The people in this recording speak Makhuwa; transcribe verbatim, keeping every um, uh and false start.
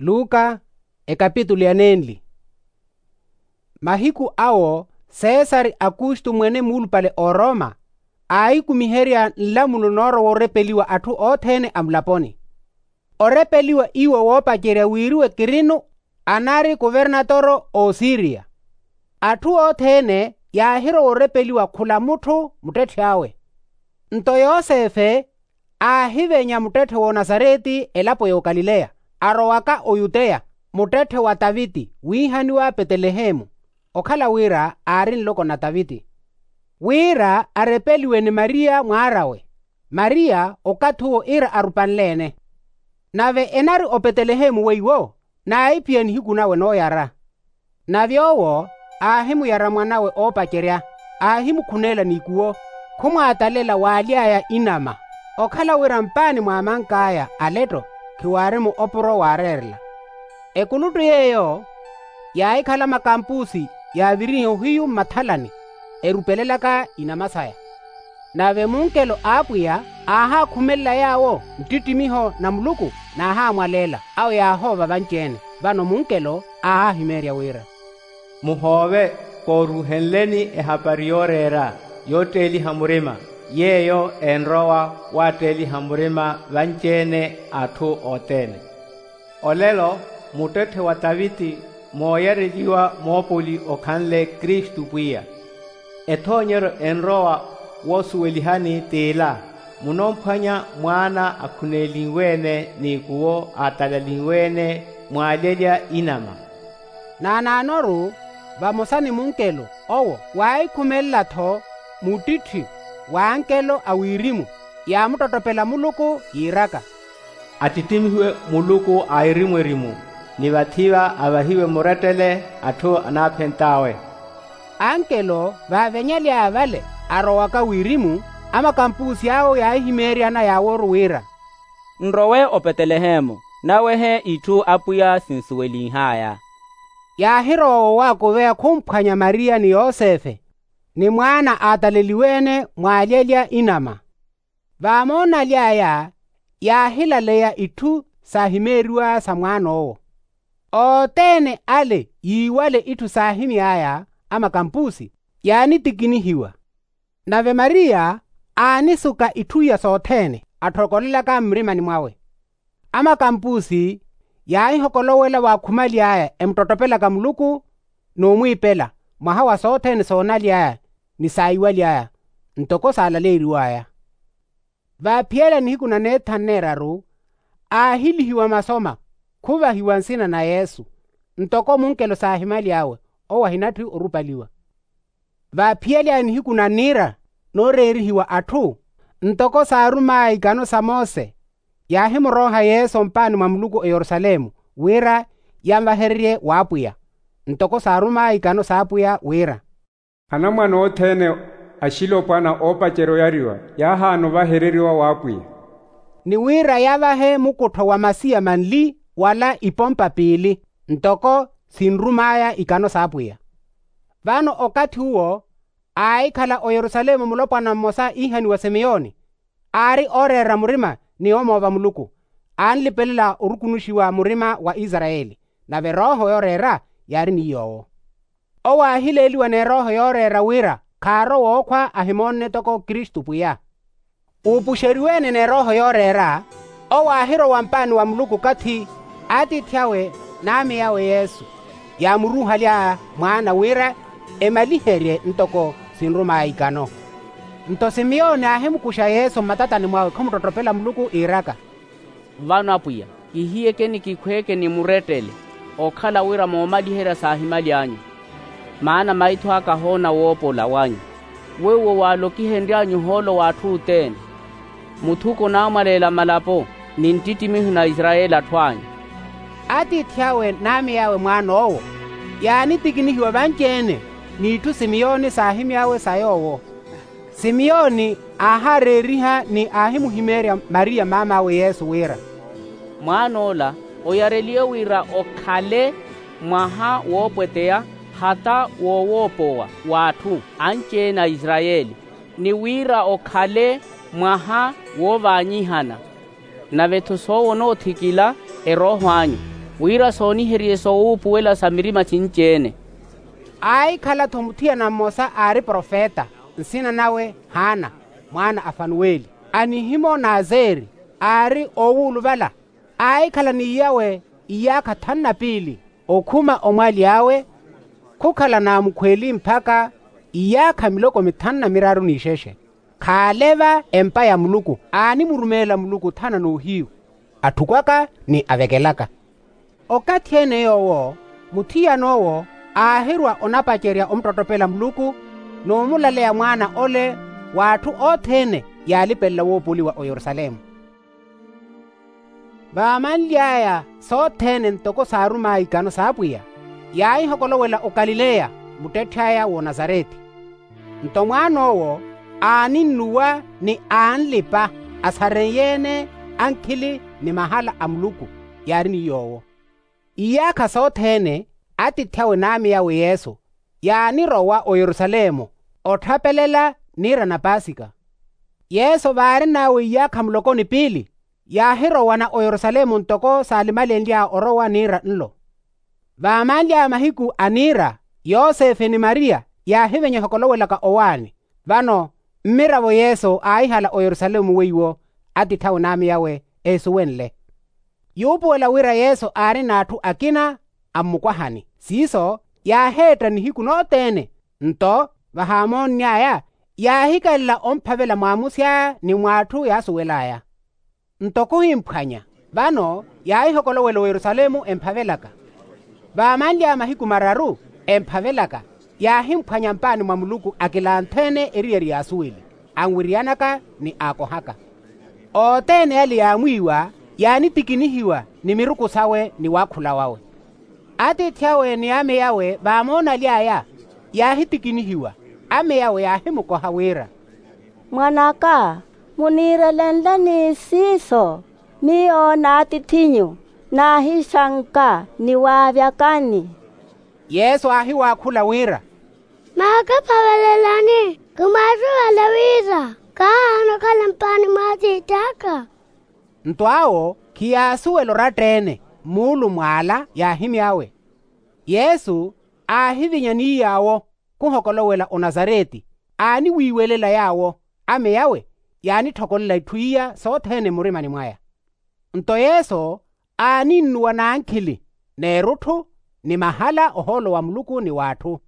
Luka ekapitulu ya nenli. Mahiku awo, sesari akustu mwene muulupale oroma, aahikumiherya nlamulo noorowa orepeliwa atthu othene a mulaponi. Orepeliwa iwo woopacerya wiiriwe kirino anari kuvernatoro a osiriya. Atthu othene yaahirowa orepeliwa khula mutthu muttetthe awe. Nto yosefe aahivenya muttetthe w'onasareti elapo y'okalileya, arowaka oyuteya, muttetthe wa taviti wiihaniwa petelehemu, okhala wira aari nloko na taviti, wira arepeliwe ni mariya mwaar'awe. Mariya okathi uwo iira arupanle-ene. Nave enari opetelehemu weiwo naahiphiya nihiku nawe nooyara. Nave owo aahimuyara mwanawe oopacerya, aahimukhuneela n'ikuwo, khumwaatalela waaly'aya inama, okhala wira mpaani mwa amank'aya aletto khiwaari-mo opuro waareerela. Ekuluttu yeeyo yaahikhala makampusi yaaviriha ohiyu mmathalani, erupelelaka inama saya. Nave munkelo a apwiya aahaakhumelela yaawo nttittimiho na muluku, naahaamwaleela awo yaahoova vanci-ene. Vano munkelo aahahimeerya wira, muhoove kooruuhenleni ehapari yooreera yootteeliha murima, yeeyo enrowa waatteeliha murima vanci-ene a atthu othene. Olelo muttetthe wa taviti mooyareliwa moopoli okhanle kristu pwiya. Ethoonyeryo enrowa woosuwelihani t'ila, munoomphwanya mwaana akhuneelinwe-ene n'ikuwo aatalalinwe-ene mwaalyelya inama. Naanaanoru vamosa ni munkelo owo waahikhumelela-tho muttitthi w'ankelo a wirimu, yaamuttottopela muluku yiiraka, attittimihiwe muluku a erimu-erimu, ni vathi-va avahiwe murettele atthu anaaphent'awe. Ankelo vaavenyaly'aya vale arowaka wirimu, amakampusi awo yaahimeeryana yaaworu wira, nrowe opetelehemu nawehe itthu apwiya sinsuwelinh'aya. Yaahirowa woowakuveya khumphwanya mariya ni yosefe, ni mwaana aataleliwe-ene mwaalyelya inama. Vaamoonaly'aya yaahilaleya itthu saahimeeriw'aya sa mwaan'owo. Othene ale yiiwale itthu saahimy'aya amakampusi, yaanitikinihiwa. Nave mariya aanisuka itthu iya sothene atthokolelaka mmurimani mwawe. Amakampusi yaahihokolowela waakhumaly'aya emuttottopelaka muluku n'umwiipela, mwaha wa sothene soonaly'aya ni saiwaly'aya, ntoko saalaleeriw'aya. Vaaphiyale nihiku na neethanu neeraru aahilihiwa masoma, khuvahiwa nsina na yesu, ntoko munkelo saahimaly'awe owo ahinatthi orupaliwa. Vaaphiyale nihiku na niira nooreerihiwa atthu, ntoko saarum'aya ikano sa mose, yaahimurooha yesu ompaani mwa muluku eyerusalemu, wira yanvahererye w'apwiya, ntoko saarum'aya ikano s'apwiya wira, anamwane othene axilopwana oopacerya oyariwa yaahaana ovahereriwa w'apwiya. Ni wira yavahe mukuttho wa masiya manli wala ipompa piili, ntoko sinrum'aya ikano s'apwiya. Vano okathi uwo aahikhala oyerusalemu mulopwana mmosa iihaniwa simiyoni, aari ooreera murima ni omoova muluku, aanlipelela orukunuxiwa murima wa isarayeli, nave erooho yooreera yaari ni yoowo. Owo aahileeliwa n'erooho yooreera wira khaarowa ookhwa ahimoonne toko kristu pwiya. Uupuxeriwe-ene n'erooho yooreera, owo aahirowa mpaani wa muluku okathi atiithi awe n'ame awe yesu, yaamuruuhaly'aya mwaana wira emaliherye ntoko sinrum'aya ikano. Nto simiyoni aahimukuxa yesu mmatatani mwawe khumuttottopela muluku iiraka, vano apwiya, kihiyekeni kikhweeke ni murettele, okhala wira moomaliherya saahimaly'anyu. Maana maitho aka ahoona woopola wanyu, weiwo waalokihenry'anyu ohoolo w'atthu othene, muthuko naamwaleela malapo ni nttittimiho na isarayeli atthu anyu. Atiithi awe n'ame awe mwaan'owo yaanitikinihiwa vanci-ene, n'itthu simiyoni saahimy'awe sa yoowo. Simiyoni aahaareeriha ni aahimuhimeerya mariya maam'awe yesu wira, mwaan'ola oyareliwe wira okhale mwaha woopweteya hata woowoopowa w'atthu anci-ene a isarayeli, ni wira okhale mwaha woovaanyihana. Nave-tho soowo onoothikila erooho anyu. Wira sooniherye soowuupuwela sa mirima sinci-ene. Aahikhala-tho muthiyana mmosa aari profeta, nsina nawe haana, mwaana a fanuweli, a nihimo n'aseri, aari oowuluvala. Aahikhala n'iyawe iyaakha thanu na piili, okhuma omwali awe, khukhala n'amukhweeli mpakha iyaakha miloko mithanu na miraru n'ixexe. Khaale va empa ya muluku, aanimurumeela muluku othana n'ohiyu, atthukwaka ni avekelaka. Okathi-ene yoowo, muthiyan'owo aahirwa onapacerya omuttottopela muluku, n'umulaleya mwaana ole, w'atthu othene yaalipelela woopoliwa oyerusalemu. Vaamanly'aya sothene ntoko saarum'aya ikano s'apwiya, yaahihokolowela okalileya, muttetth'aya w'onasareti. Nto mwaan'owo, aaninnuwa ni aanlipa, asareiye-ene ankhili ni mahala a muluku, yaari ni yoowo. Iyaakha sothene, atiithi awe n'ame awe yesu, yaanirowa oyerusalemu, otthapelela niira na paasika. Yesu vaarin'awe iyaakha muloko ni piili, yaahirowana oyerusalemu ntoko saalimalenly'aya orowa niira nlo. Vaamanly'aya mahiku a niira, yosefe ni mariya yaahivenya ohokolowelaka owaani. Vano mmiravo yesu aahihala oyerusalemu weiwo, atiithi awe n'ame awe eesuwenle. Yuupuwela wira yesu aari n'atthu akina, ammukwahani siiso, yaaheetta nihiku nothene. Nto vahaamoonny'aya, yaahikalela omphavela mwaamusy'aya ni mw'atthu yaasuwel'aya. Nto khuhimphwanya, vano yaahihokolowela oyerusalemu emphavelaka. Vaamanly'aya mahiku mararu, emphavelaka, yaahimphwanya mpaani mwa muluku akilanthe-ene eriyari y'asuweli, anwiriyanaka ni aakohaka. Othene ale yaamwiiwa, yaanitikinihiwa ni miruku sawe ni waakhula wawe. Atiithi awe ni ame awe vaamoonaly'aya, yaahitikinihiwa. Ame awe yaahimukoha wira, mwan'aka, muniirelenle ni siiso, miyo n'atiith'inyu naahixanka ni waavyakani. Yesu aahiwaakhula wira, maakaphavelelani, khimwaasuwela wira kaahaana okhala mpaani mw'atiith'aka. Nto awo khiyaasuwela oratta-ene, muulumw'ala yaahimy'awe. Yesu aahivinya ni yaawo, khuhokolowela onasareti, aaniwiiwelela yaawo. Ame awe yaanitthokolola itthu iya sothene mmurimani mwaya. Nto yesu aaninnuwa n'ankhili, n'erutthu, ni mahala ohoolo wa muluku ni w'atthu.